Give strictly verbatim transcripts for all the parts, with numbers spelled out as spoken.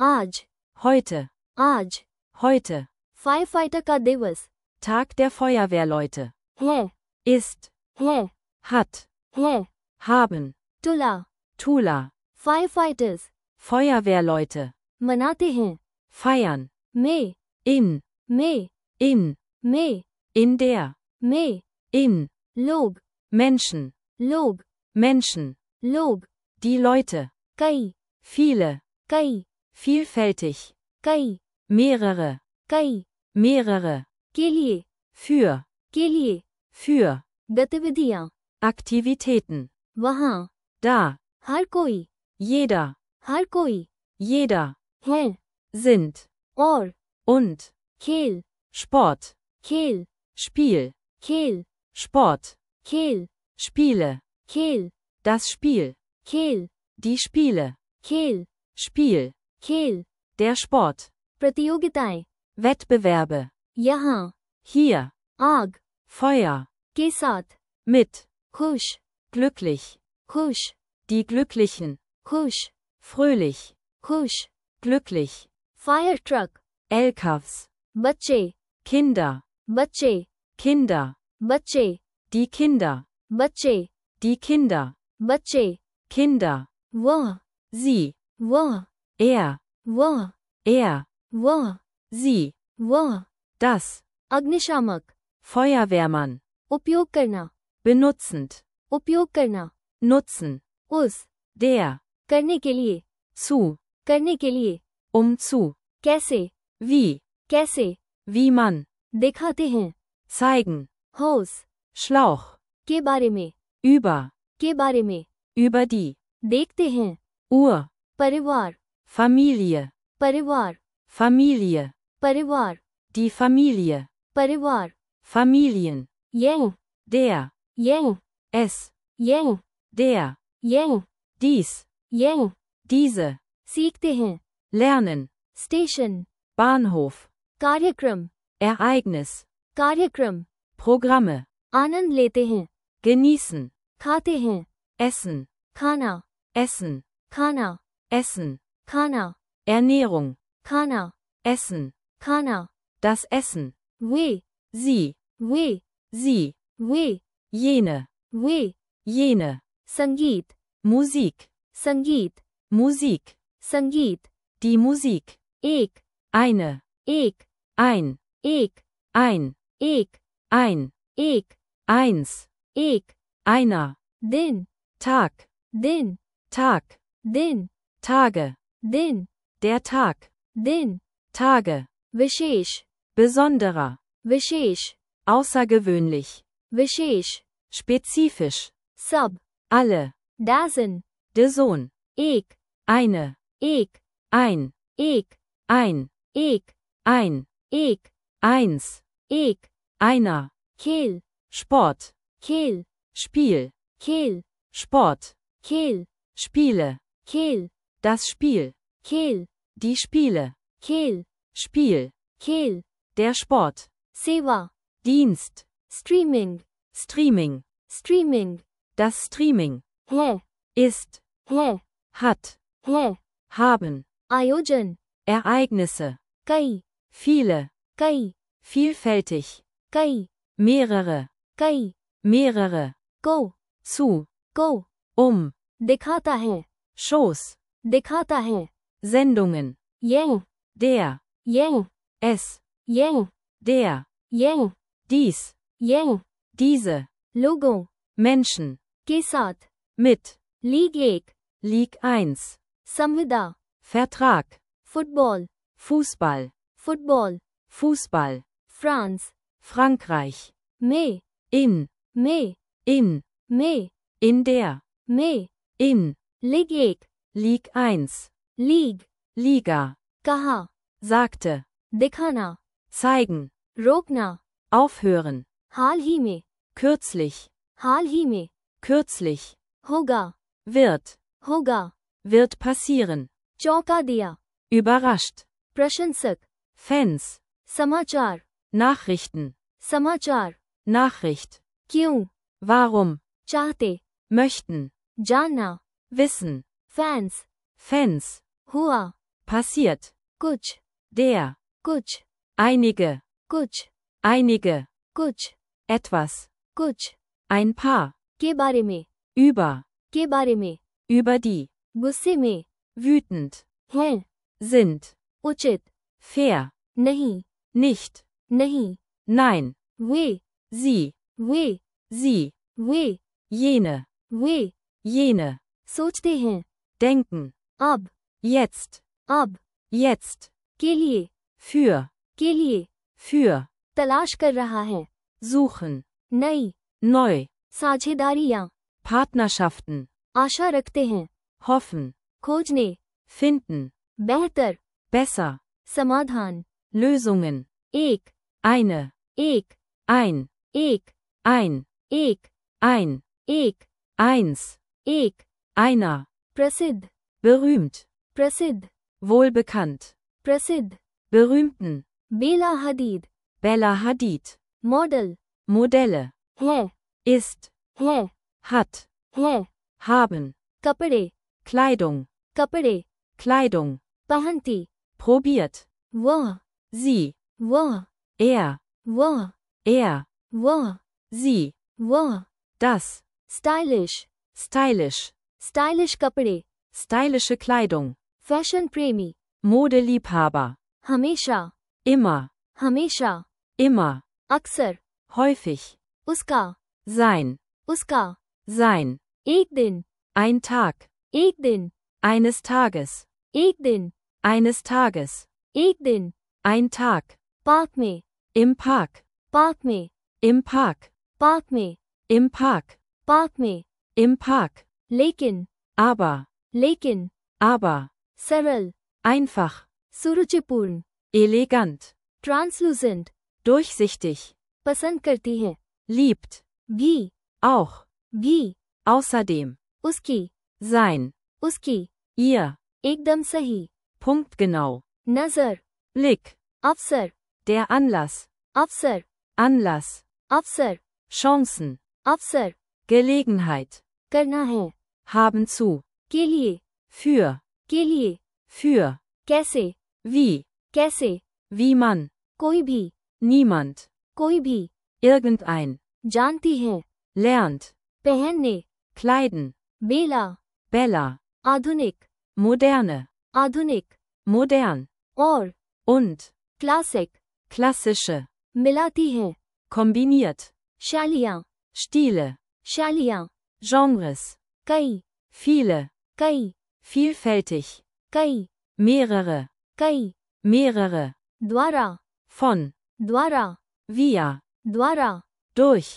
आज, heute, आज, heute, firefighter का दिवस, Tag der Feuerwehrleute, है, ist, है, hat, है, haben, तुला, Tula, फायरफाइटर्स, Feuerwehrleute, मनाते हैं, feiern, में, in, में, in, में, in der, में, in, लोग, Menschen, लोग, Menschen, लोग, die Leute, कई, viele, कई, vielfältig, कई, mehrere, कई, mehrere, के लिए, für, के लिए, für, गतिविधियां, Aktivitäten, वहां, da, हर कोई, jeder, हर कोई, jeder, है, sind, और, und, खेल, Sport, खेल, Spiel, खेल, Sport, खेल, Spiele, खेल, das Spiel, खेल, die Spiele, खेल, Spiel, खेल, der Sport, प्रतियोगिताएं, Wettbewerbe, यहाँ, hier, आग, Feuer, के साथ, mit, खुश, glücklich, खुश, die Glücklichen, खुश, fröhlich, खुश, glücklich, fire truck, L K Vs, बच्चे, Kinder, बच्चे, Kinder, बच्चे, die Kinder, बच्चे, die Kinder, बच्चे, Kinder, वह, sie, वह, er, वह, er, वह, sie, वह, das, अग्निशामक, Feuerwehrmann, उपयोग करना, benutzend, उपयोग करना, nutzen, उस, der, करने के लिए, zu, करने के लिए, um zu, कैसे, wie, कैसे, wie man, दिखाते हैं, zeigen, होस, Schlauch, के बारे में, über, के बारे में, über die, देखते हैं, Ur, परिवार, Familie, परिवार, Familie, परिवार, die Familie, परिवार, Familien, young, der, young, es, young, der, young, dies, young, diese, सीखते हैं, lernen, स्टेशन, Bahnhof, कार्यक्रम, Ereignis, कार्यक्रम, Programme, आनंद लेते हैं, genießen, खाते हैं, essen, खाना, essen, खाना, essen, खाना, Ernährung, खाना, essen, खाना, das Essen, वे, sie, वे, sie, वे, jene, वे, jene, संगीत, Musik, संगीत, Musik, संगीत, die Musik, एक, eine, एक, ein, एक, ein, एक, ein, एक, eins, एक, einer, दिन, Tag, दिन, Tag, दिन, Tage, दिन, der Tag, दिन, Tage, विशेष, besonderer, विशेष, außergewöhnlich, विशेष, spezifisch, सब, alle, डजन, der Sohn, एक, eine, एक, ein, एक, ein, एक, ein, एक, eins, एक, einer, खेल, Sport, खेल, Spiel, खेल, Sport, खेल, Spiele, खेल, das Spiel, खेल, die Spiele, खेल, Spiel, खेल, der Sport, सेवा, Dienst, streaming, Streaming, streaming, das Streaming, है, ist, है, hat, है, haben, आयोजन, Ereignisse, कई, viele, कई, vielfältig, कई, mehrere, कई, mehrere, को, zu, को, um, दिखाता है, Shows, दिखाता है, Sendungen, young, der, young, es, young, der, young, dies, young, diese, लोगों, Menschen, के साथ, mit, लीग एक, Ligue eins, संविदा, Vertrag, football, Fußball, football, Fußball, France, Frankreich, में, in, में, in, में, in der, में, in, लीग एक, Ligue eins, लीग, Liga, कहा, sagte, दिखाना, zeigen, रोकना, aufhören, हाल ही में, kürzlich, हाल ही में, kürzlich, होगा, wird, होगा, wird passieren, चौंका दिया, überrascht, प्रशंसक, Fans, समाचार, Nachrichten, समाचार, Nachricht, क्यों, warum, चाहते, möchten, जानना, wissen, फैंस, Fans, हुआ, passiert, कुछ, der, कुछ, einige, कुछ, einige, कुछ, etwas, कुछ, ein paar, के बारे में, über, के बारे में, über die, गुस्से में, wütend, हैं, sind, उचित, fair, नहीं, nicht, नहीं, nein, वे, sie, वे, sie, वे, jene, वे, jene, सोचते हैं, denken, अब, jetzt, अब, jetzt, के लिए, für, के लिए, für, तलाश कर रहा है, suchen, नई, neu, साझेदारियां, Partnerschaften, आशा रखते हैं, hoffen, खोजने, finden, बेहतर, besser, समाधान, Lösungen, एक, eine, एक, ein, एक, ein, एक, ein, एक, eins, एक, einer, प्रसिद्ध, berühmt, प्रसिद्ध, wohlbekannt, प्रसिद्ध, berühmten, बेला हदीद, Bella Hadid, मॉडल, Modelle, है, ist, है, hat, है, haben, कपड़े, Kleidung, कपड़े, Kleidung, पहनती, probiert, वह, sie, वह, er, वह, er, वह, sie, वह, das, स्टाइलिश, stylisch, स्टाइलिश कपड़े, stylische Kleidung, फैशन प्रेमी, Modeliebhaber, हमेशा, immer, हमेशा, immer, अक्सर, häufig, उसका, sein, उसका, sein, एक दिन, ein Tag, एक दिन, eines Tages, एक दिन, eines Tages, एक दिन, ein Tag, पार्क में, im Park, पार्क में, im Park, पार्क में, im Park, पार्क में, im Park, लेकिन, aber, लेकिन, aber, सरल, einfach, सुरुचिपूर्ण, elegant, ट्रांसलूसेंट, durchsichtig, पसंद करती है, liebt, भी, auch, भी, außerdem, उसकी, sein, उसकी, ihr, एकदम सही, punktgenau, नजर, Blick, अवसर, der Anlass, अवसर, Anlass, अवसर, Chancen, अवसर, Gelegenheit, करना है, haben zu, के लिए, für, के लिए, für, कैसे, wie, कैसे, wie man, कोई भी, niemand, कोई भी, irgendein, जानती है, lernt, पहनने, kleiden, बेला, Bella, आधुनिक, moderne, आधुनिक, modern, और, und, क्लासिक, klassische, मिलाती है, kombiniert, शैलियाँ, Stile, शैलियाँ, Genres, कई, viele, कई, vielfältig, कई, mehrere, कई, mehrere, द्वारा, von, द्वारा, via, द्वारा, durch,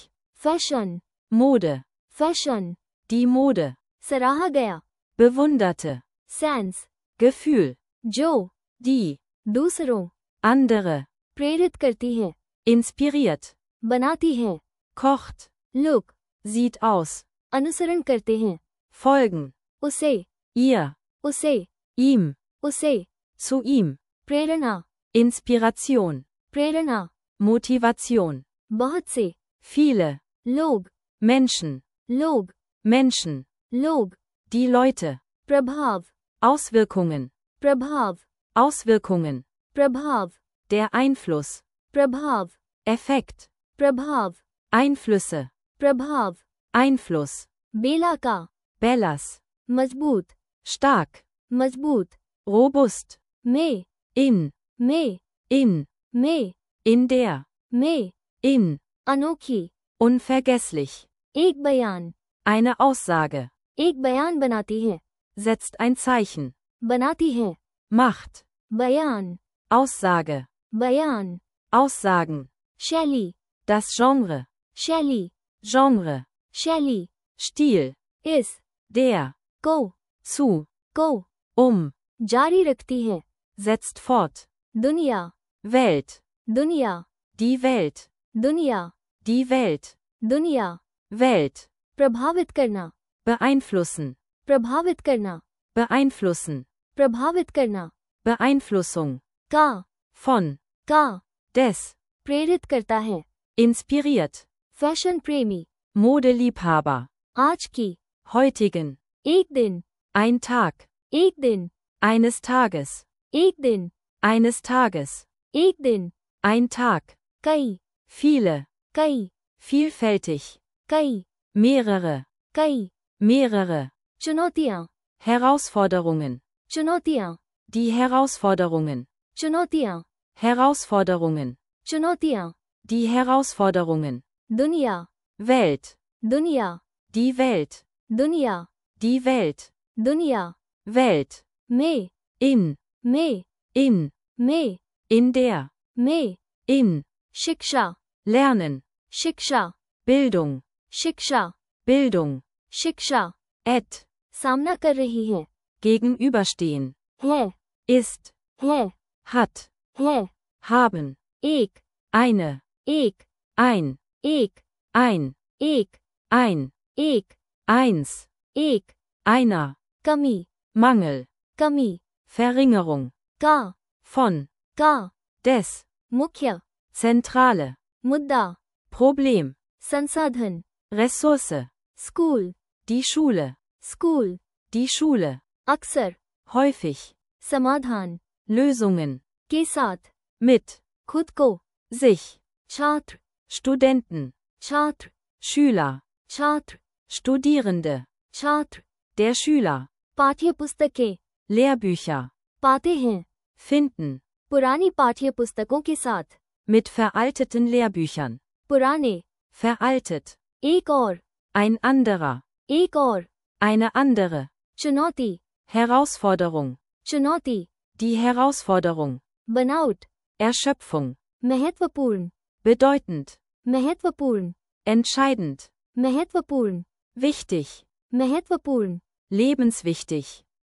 fashion, Mode, fashion, die Mode, सराहा गया, bewunderte, सेंस, Gefühl, जो, die, दूसरों, andere, प्रेरित करती है, inspiriert, बनाती है, kocht, लुक, sieht aus, अनुसरण करते हैं, folgen, उसे, ihr, उसे, ihm, उसे, zu ihm, प्रेरणा, Inspiration, प्रेरणा, Motivation, बहुत से, viele, लोग, Menschen, लोग, Menschen, लोग, die Leute, प्रभाव, Auswirkungen, प्रभाव, Auswirkungen, प्रभाव, der Einfluss, प्रभाव, Effekt, प्रभाव, Einflüsse, प्रभाव, Einfluss, बेला का, Bellas, मजबूत, stark, मजबूत, robust, में, in, में, in, में, in der, में, in, अनोखी, unvergesslich, एक बयान, eine Aussage, एक बयान बनाती है, setzt ein Zeichen, बनाती है, macht, बयान, Aussage, बयान, Aussagen, शैली, das Genre, शैली, Genre, शैली, Stil, इस, der, को, zu, को, um, जारी रखती है, setzt fort, दुनिया, Welt, दुनिया, die Welt, दुनिया, die Welt, दुनिया, Welt, प्रभावित करना, beeinflussen, प्रभावित करना, beeinflussen, प्रभावित करना, Beeinflussung, का, von, का, des, प्रेरित करता है, inspiriert, फैशन प्रेमी, Modeliebhaber, आज की, heutigen, एक दिन, ein Tag, एक दिन, eines Tages, एक दिन, eines Tages, एक दिन, ein Tag, कई, viele, कई, vielfältig, कई, mehrere, कई, mehrere, चुनौतियाँ, Herausforderungen, चुनौतियाँ, die Herausforderungen, चुनौतियाँ, Herausforderungen, चुनौतियाँ, die Herausforderungen, दुनिया, Welt, दुनिया, die Welt, दुनिया, die Welt, दुनिया, Welt, में, in, में, in, में, in der, में, in, शिक्षा, lernen, शिक्षा, Bildung, शिक्षा, Bildung, शिक्षा, et, सामना कर रही है, gegenüberstehen, है, ist, है, hat, है, haben, एक, eine, एक, ein, एक, ein, एक, ein, एक, eins, एक, einer, कमी, Mangel, कमी, Verringerung, का, von, का, des, मुख्य, Zentrale, मुद्दा, Problem, संसाधन, Ressource, school, die Schule, school, die Schule, अक्सर, häufig, समाधान, Lösungen, के साथ, mit, खुद को, sich, छात्र, Studenten, छात्र, Schüler, छात्र, Studierende, छात्र, der Schüler, पाठ्य पुस्तकें, Lehrbücher, पाते हैं, finden, पुरानी पाठ्य पुस्तकों के साथ, mit veralteten Lehrbüchern, पुराने, veraltet, एक और, ein anderer, एक और, eine andere, चुनौती, Herausforderung, चुनौती, die Herausforderung, बनाउट, Erschöpfung, महत्वपूर्ण, bedeutend, महत्वपूर्ण, entscheidend, महत्वपूर्ण, wichtig, महत्वपूर्ण, lebenswichtig,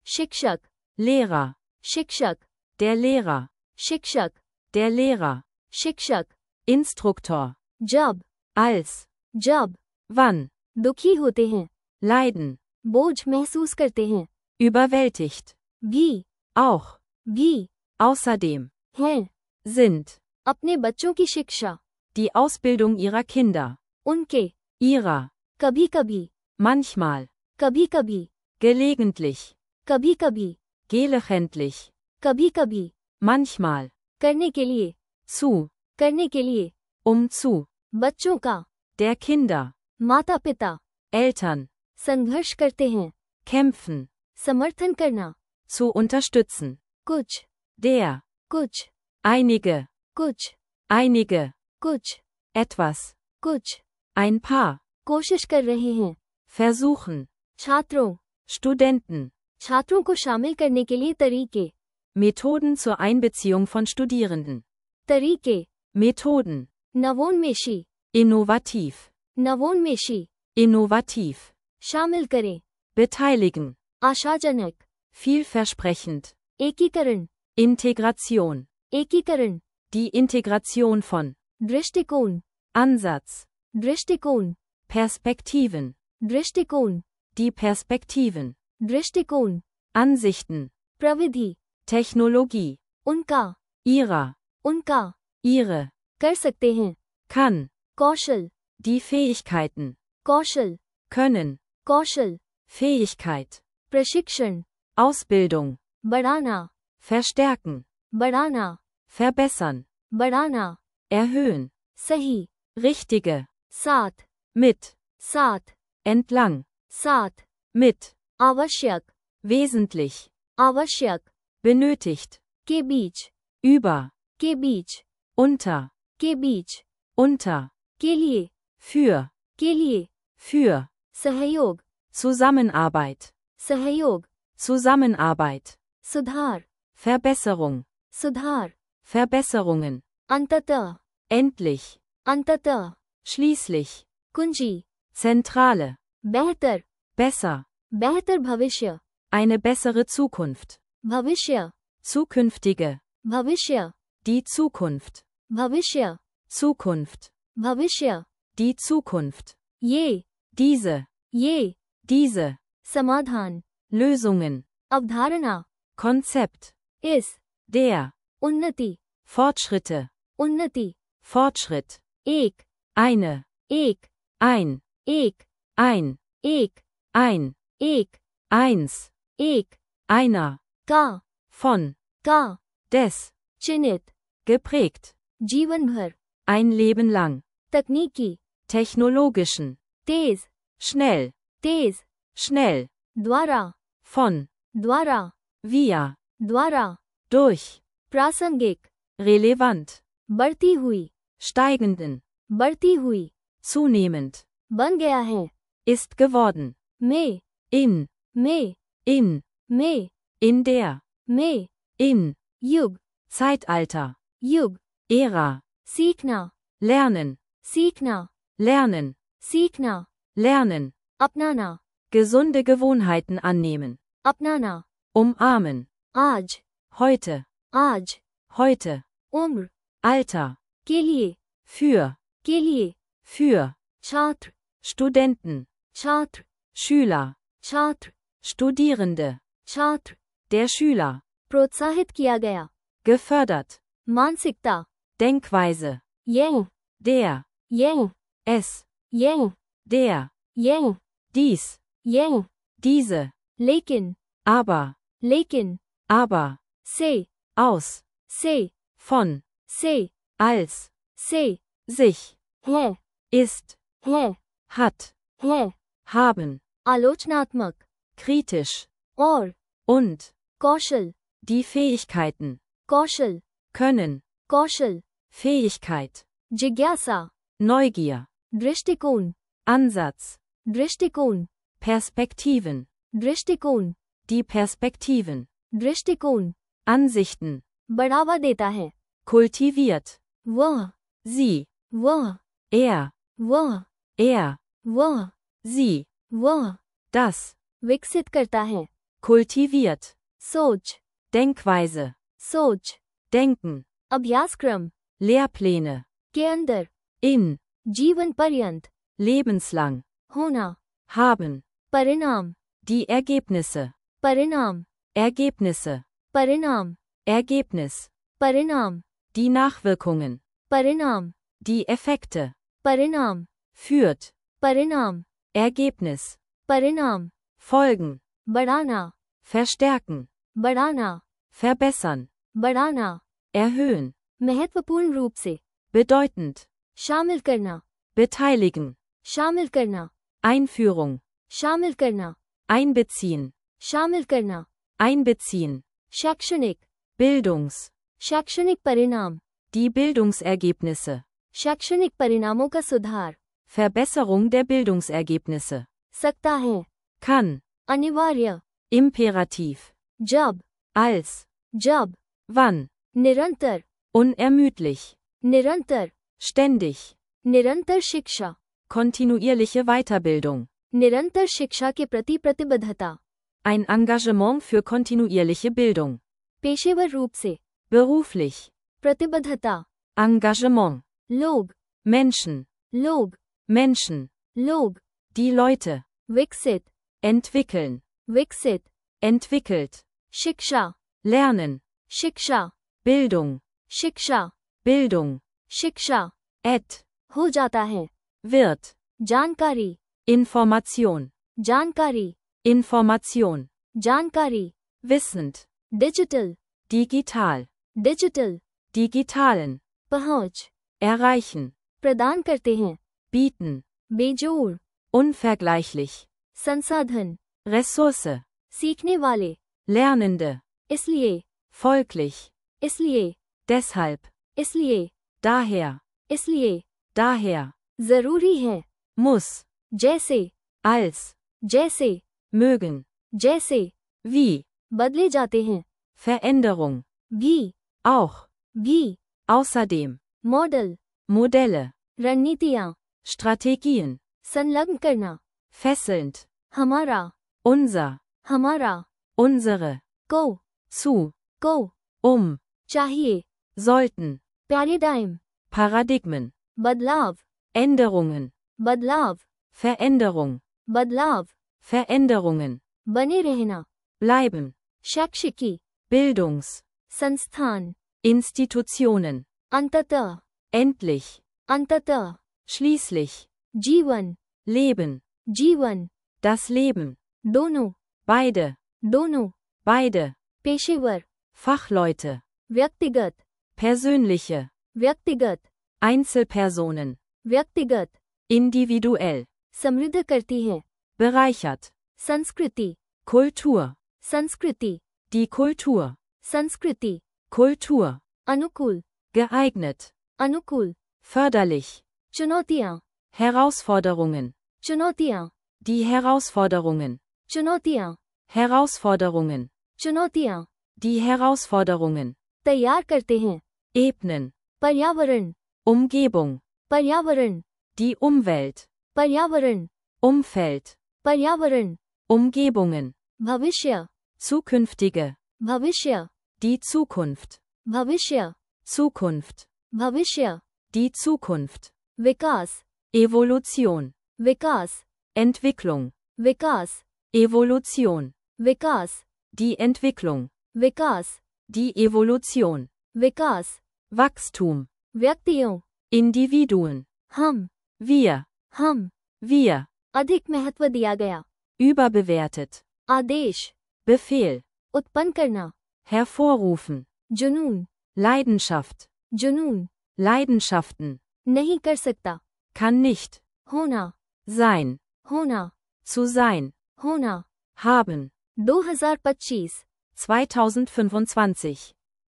शिक्षक, Lehrer, शिक्षक, der Lehrer, शिक्षक, der Lehrer, शिक्षक, Instruktor, जब, als, जब, wann, दुखी होते हैं, leiden, बोझ महसूस करते हैं, überwältigt, भी, auch, भी, außerdem, हैं, sind, अपने बच्चों की शिक्षा, die Ausbildung ihrer Kinder, उनके, ihrer, कभी कभी, manchmal, कभी कभी, gelegentlich, कभी कभी, gelegentlich, कभी कभी, manchmal, करने के लिए, zu, करने के लिए, um zu, बच्चों का, der Kinder, माता पिता, Eltern, संघर्ष करते हैं, kämpfen, समर्थन करना, zu unterstützen, कुछ, der, कुछ, einige, कुछ, einige, कुछ, etwas, कुछ, ein paar, कोशिश कर रहे हैं, versuchen, छात्रों, Studenten, छात्रों को शामिल करने के लिए तरीके, Methoden zur Einbeziehung von Studierenden, तरीके, Methoden, नवोन्मेषी, innovativ, नवोन्मेषी, innovativ, शामिल करें, beteiligen, आशाजनक, vielversprechend, एकीकरण, Integration, एकीकरण, die Integration von, दृष्टिकोण, Ansatz, दृष्टिकोण, Perspektiven, दृष्टिकोण, die Perspektiven, दृष्टिकोण, Ansichten, प्रविधि, Technologie, उनका, ihrer, उनका, ihre, कर सकते हैं, kann, कौशल, die Fähigkeiten, कौशल, können, कौशल, Fähigkeit, प्रशिक्षण, Ausbildung, बढ़ाना, verstärken, बढ़ाना, verbessern, बढ़ाना, erhöhen, सही, richtige, साथ, mit, साथ, entlang, साथ, mit, आवश्यक, wesentlich, आवश्यक, benötigt, के बीच, über, के बीच, unter, के बीच, unter, के लिए, für, के लिए, für, सहयोग, Zusammenarbeit, सहयोग, Zusammenarbeit, सुधार, Verbesserung, सुधार, Verbesserungen, अंततः, endlich, अंततः, schließlich, कुंजी, Zentrale, बेहतर, besser, बेहतर भविष्य, eine bessere Zukunft, भविष्य, zukünftige, भविष्य, die Zukunft, भविष्य, Zukunft, भविष्य, die Zukunft, ये, diese, ये, diese, समाधान, Lösungen, अवधारणा, Konzept, इस, der, उन्नति, Fortschritte, उन्नति, Fortschritt, एक, eine, एक, ein, एक, ein, एक, ein, एक, eins, एक, einer, का, von, का, des, चिन्हित, geprägt, जीवन भर, ein Leben lang, तकनीकी, technologischen, तेज, schnell, तेज, schnell, द्वारा, von, द्वारा, via, द्वारा, durch, प्रासंगिक, relevant, बढ़ती हुई, steigenden, बढ़ती हुई, zunehmend, बन गया है, ist geworden, में, in, में, in, में, in der, में, in, युग, Zeitalter, युग, Ära, सीखना, lernen, सीखना, lernen, सीखना, lernen, अपनाना, gesunde Gewohnheiten annehmen, अपनाना, umarmen, आज, heute, आज, heute, उम्र, Alter, के लिए, für, के लिए, für, छात्र, Studenten, छात्र, Schüler, छात्र, Studierende, छात्र, der Schüler, प्रोत्साहित किया गया, gefördert, मानसिकता, Denkweise, यह, der, यह, es, यह, der, यह, dies, यह, diese, लेकिन, aber, लेकिन, aber, से, aus, से, von, से, als, से, sich, है, ist, है, hat, है, haben, आलोचनात्मक, kritisch, और, und, कौशल, die Fähigkeiten, कौशल, können, कौशल, Fähigkeit, जिज्ञासा, Neugier, दृष्टिकोण, Ansatz, दृष्टिकोण, Perspektiven, दृष्टिकोण, die Perspektiven, दृष्टिकोण, Ansichten, बढ़ावा देता है, kultiviert, वह, sie, वह, er, वह, er, वह, sie, वह, das, विकसित करता है, kultiviert, सोच, Denkweise, सोच, denken, अभ्यासक्रम, Lehrpläne, के अंदर, in, जीवन पर्यंत, lebenslang, होना, haben, परिणाम, die Ergebnisse, परिणाम, Ergebnisse, परिणाम, Ergebnis, परिणाम, die Nachwirkungen, परिणाम, die Effekte, परिणाम, führt, परिणाम, Ergebnis, परिणाम, folgen, बढ़ाना, verstärken, बढ़ाना, verbessern, बढ़ाना, erhöhen, महत्वपूर्ण रूप से, bedeutend, शामिल करना, beteiligen, शामिल करना, Einführung, शामिल करना, einbeziehen, शामिल करना, einbeziehen, शैक्षणिक, Bildungs, शैक्षणिक परिणाम, die Bildungsergebnisse, शैक्षणिक परिणामों का सुधार, Verbesserung der Bildungsergebnisse, सकता है, kann, अनिवार्य, imperativ, जब, als, जब, wann, निरंतर, unermüdlich, निरंतर, ständig, निरंतर शिक्षा, kontinuierliche Weiterbildung, निरंतर शिक्षा के प्रति प्रतिबद्धता, ein Engagement für kontinuierliche Bildung, पेशेवर रूप से, beruflich, प्रतिबद्धता, Engagement, लोग, Menschen, लोग, Menschen, लोग, die Leute, विकसित, entwickeln, विकसित, entwickelt, शिक्षा, lernen, शिक्षा, Bildung, शिक्षा, Bildung, शिक्षा, et, हो जाता है, wird, जानकारी, Information, जानकारी, Information, जानकारी, wissend, digital, digital, digital, digitalen, पहुंच, erreichen, प्रदान करते हैं, bieten, बेजोड़, unvergleichlich, संसाधन, Ressource, सीखने वाले, Lernende, इसलिए, folglich, इसलिए, deshalb, इसलिए, daher, इसलिए, daher, जरूरी है, muss, जैसे, als, जैसे, mögen, जैसे, wie, बदले जाते हैं, Veränderung, भी, auch, भी, außerdem, मॉडल, Modelle, रणनीतियाँ, Strategien, संलग्न करना, fesselnd, हमारा, unser, हमारा, unsere, को, zu, को, um, चाहिए, sollten, पैराडाइम, Paradigmen, बदलाव, Änderungen, बदलाव, Veränderung, बदलाव, Veränderungen, बने रहना, bleiben, शैक्षिकी, Bildungs, संस्थान, Institutionen, अंततः, endlich, अंततः, schließlich, जीवन, Leben, जीवन, das Leben, दोनों, beide, दोनों, beide, पेशेवर, Fachleute, व्यक्तिगत, persönliche, व्यक्तिगत, Einzelpersonen, व्यक्तिगत, individuell, समृद्ध करती है, bereichert, संस्कृति, Kultur, संस्कृति, die Kultur, संस्कृति, Kultur, अनुकूल, geeignet, अनुकूल, förderlich, चुनौतियाँ, Herausforderungen, चुनौतियाँ, die Herausforderungen, चुनौतियाँ, Herausforderungen, चुनौतियाँ, die Herausforderungen, तैयार करते हैं, ebnen, पर्यावरण, Umgebung, पर्यावरण, die Umwelt, पर्यावरण, Umfeld, पर्यावरण, Umgebungen, भविष्य, zukünftige, भविष्य, die Zukunft, भविष्य, Zukunft, भविष्य, die Zukunft, विकास, Evolution, विकास, Entwicklung, विकास, Evolution, विकास, die Entwicklung, विकास, die Evolution, विकास, Wachstum, व्यक्तियों, Individuen, हम, wir, हम, wir, अधिक महत्व दिया गया, überbewertet, आदेश, Befehl, उत्पन्न करना, hervorrufen, जुनून, Leidenschaft, जुनून, Leidenschaften, नहीं कर सकता, kann nicht, होना, sein, होना, zu sein, होना, haben, दो हज़ार पच्चीस, zweitausendfünfundzwanzig,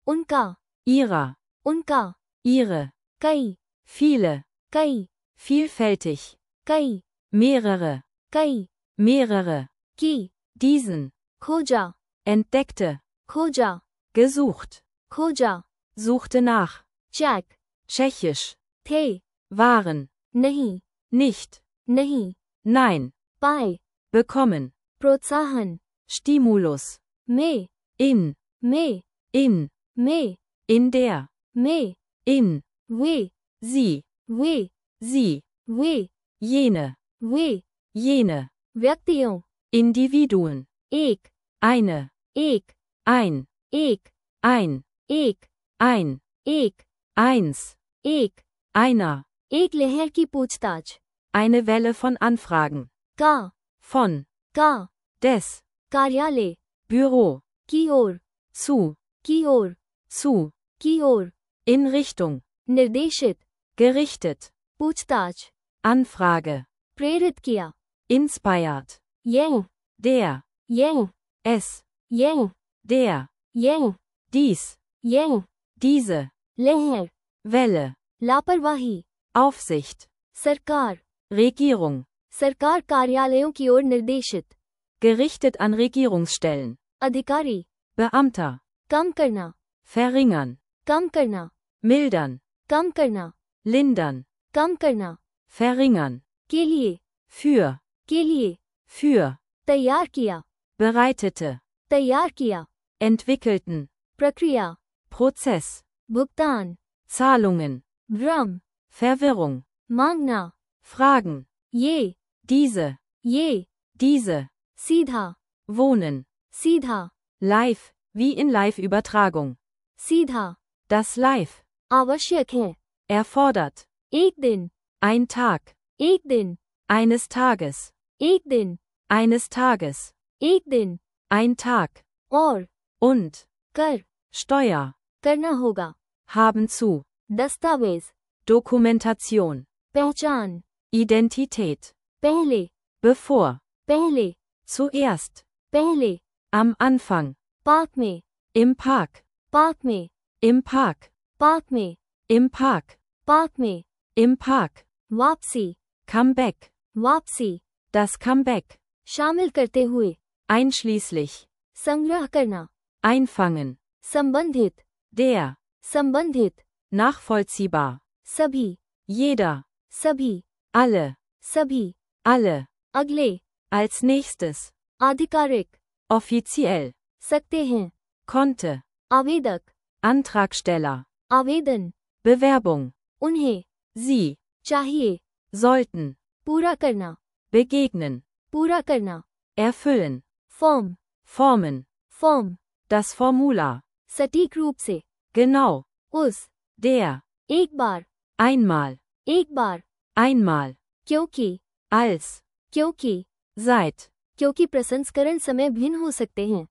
उनका, ihrer, उनका, ihre, कई, viele, कई, vielfältig, कई, mehrere, कई, mehrere, की, diesen, खोजा, entdeckte, खोजा, gesucht, खोजा, suchte nach, चेक, tschechisch, थे, waren, नहीं, nicht, नहीं, nein, पाए, bekommen, प्रोत्साहन, Stimulus, में, in, में, in, में, in der, में, in, वे, sie, वे, sie, वे, jene, वे, jene, व्यक्तियों, Individuen, एक, eine, एक, ein, एक, ein, एक, ein, एक, eins, एक, einer, एक लहर की पूछताछ, eine Welle von Anfragen, का, von, का, des, कार्यालय, Büro, की ओर, zu, की ओर, zu, की ओर, in Richtung, निर्देशित, gerichtet, पूछताछ, Anfrage, प्रेरित किया, inspired, यह, der, यह, es, यह, der, यह, dies, यह, diese, लहर, Welle, लापरवाही, Aufsicht, सरकार, Regierung, सरकार कार्यालयों की ओर निर्देशित, gerichtet an Regierungsstellen, अधिकारी, Beamter, कम करना, verringern, कम करना, mildern, कम करना, lindern, कम करना, verringern, के लिए, für, के लिए, für, तैयार किया, bereitete, तैयार किया, entwickelten, प्रक्रिया, Prozess, भुगतान, Zahlungen, भ्रम, Verwirrung, मांगना, Fragen, ये, diese, ये, diese, सीधा, wohnen, सीधा, live, wie in Live-Übertragung, सीधा, das Live, आवश्यक है, erfordert, एक दिन, ein Tag, एक दिन, eines Tages, एक दिन, eines Tages, एक दिन, ein Tag, और, und, कर, Steuer, करना होगा, haben zu, दस्तावेज, Dokumentation, पहचान, Identität, पहले, bevor, पहले, zuerst, पहले, am Anfang, पार्क में, im Park, पार्क में, im Park, पार्क में, im Park, पार्क में, im Park, वापसी, Comeback, वापसी, das Comeback, शामिल करते हुए, einschließlich, संग्रह करना, einfangen, संबंधित, der, संबंधित, nachvollziehbar, सभी, jeder, सभी, alle, सभी, alle, अगले, als nächstes, आधिकारिक, offiziell, सकते हैं, konnte, आवेदक, Antragsteller, आवेदन, Bewerbung, उन्हें, sie, चाहिए, sollten, पूरा करना, begegnen, पूरा करना, erfüllen, form, formen, form, das Formular, सटीक रूप से, genau, उस, der, एक बार, einmal, एक बार, einmal, क्योंकि, als, क्योंकि, seit, क्योंकि प्रसंस्करण समय भिन्न हो सकते हैं,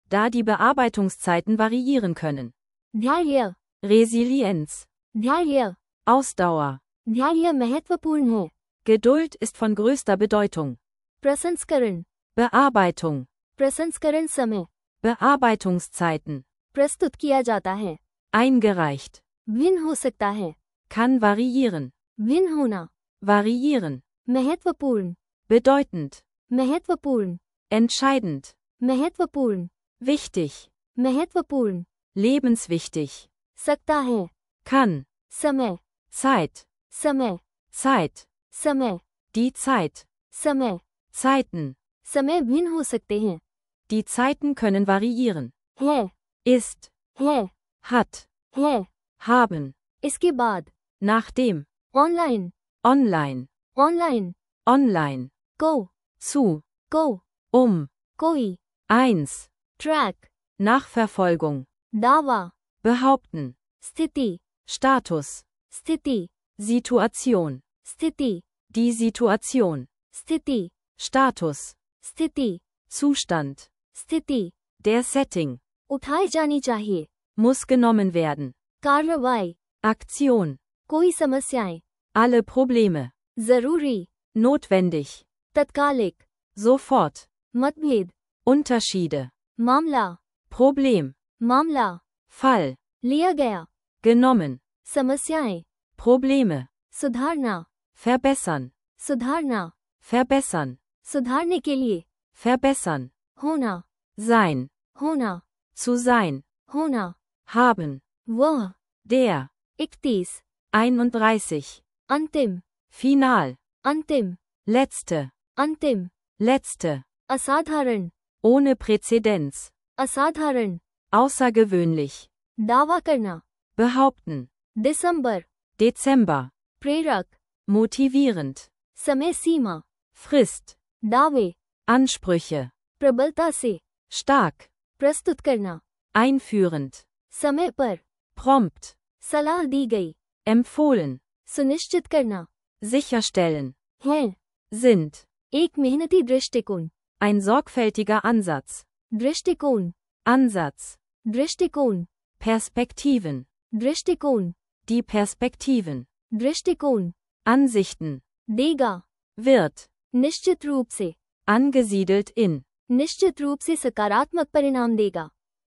da die Bearbeitungszeiten variieren können. धैर्य Resilienz, धैर्य Ausdauer, धैर्य महत्वपूर्ण है. Geduld ist von größter Bedeutung. प्रसंस्करण Bearbeitung, प्रसंस्करण समय Bearbeitungszeiten, प्रस्तुत किया जाता है. eingereicht, भिन्न हो सकता है. kann variieren, भिन्न होना. variieren, महत्वपूर्ण bedeutend, महत्वपूर्ण entscheidend, महत्वपूर्ण wichtig, महत्वपूर्ण lebenswichtig, सकता है. kann, समय Zeit, समय Zeit, समय die Zeit, समय Zeiten, समय भिन्न हो सकते हैं. die Zeiten können variieren, है ist, है hat, है haben, इसके बाद nachdem, online online, online online, को zu, को um, कोई eins, ट्रैक Nachverfolgung, दावा behaupten, स्थिति Status, स्थिति Situation, स्थिति die Situation, स्थिति Status, स्थिति Zustand, स्थिति der Setting, उठाई जानी चाहिए. muss genommen werden, कार्रवाई Aktion, कोई समस्याएं alle Probleme, जरूरी notwendig, तत्कालिक sofort, मतभेद Unterschiede, मामला Problem, मामला Fall, लिया गया. genommen, समस्याएं Probleme, सुधारना verbessern, सुधारना verbessern, सुधारने के लिए verbessern, होना sein, होना zu sein, होना haben, वह der, इकतीस einunddreißig, अंतिम final, अंतिम letzte, अंतिम letzte, असाधारण ohne Präzedenz, असाधारण außergewöhnlich, दावा करना. behaupten, दिसंबर Dezember, प्रेरक motivierend, समय सीमा Frist, दावे Ansprüche, प्रबलता से stark, प्रस्तुत करना. einführend, समय पर prompt, सलाह दी गई. empfohlen, सुनिश्चित करना sicherstellen, है. sind, एक मेहनती दृष्टिकोण ein sorgfältiger Ansatz, दृष्टिकोण Ansatz, दृष्टिकोण Perspektiven, दृष्टिकोण die Perspektiven, दृष्टिकोण Ansichten, देगा. wird, निश्चित रूप से angesiedelt in, निश्चित रूप से सकारात्मक परिणाम देगा.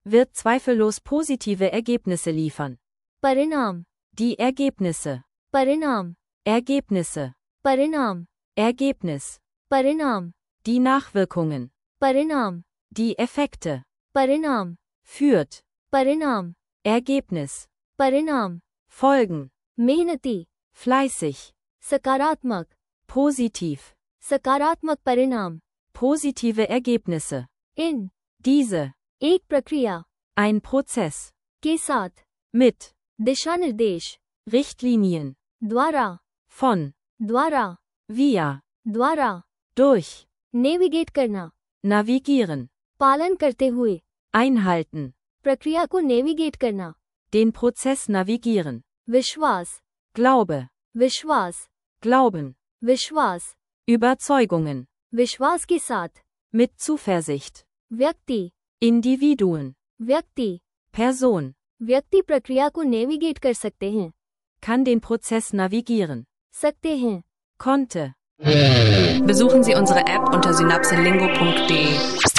wird zweifellos positive Ergebnisse liefern. परिणाम Die Ergebnisse, परिणाम Ergebnisse, परिणाम Ergebnis, परिणाम die Nachwirkungen, परिणाम die Effekte, परिणाम führt, परिणाम Ergebnis, परिणाम Folgen, मेहनती fleißig, सकारात्मक positiv, सकारात्मक परिणाम positive Ergebnisse, इन diese, एक प्रक्रिया ein Prozess, के साथ mit, दिशा निर्देश Richtlinien, द्वारा von, द्वारा via, द्वारा durch, नेविगेट करना navigieren, पालन करते हुए einhalten, प्रक्रिया को नेविगेट करना den Prozess navigieren, विश्वास Glaube, विश्वास Glauben, विश्वास Überzeugungen, विश्वास के साथ mit Zuversicht, व्यक्ति Individuen, व्यक्ति Person, व्यक्ति प्रक्रिया को नेविगेट कर सकते हैं kann den Prozess navigieren, सकते हैं konnte. Besuchen Sie unsere App unter synapselingo punkt de.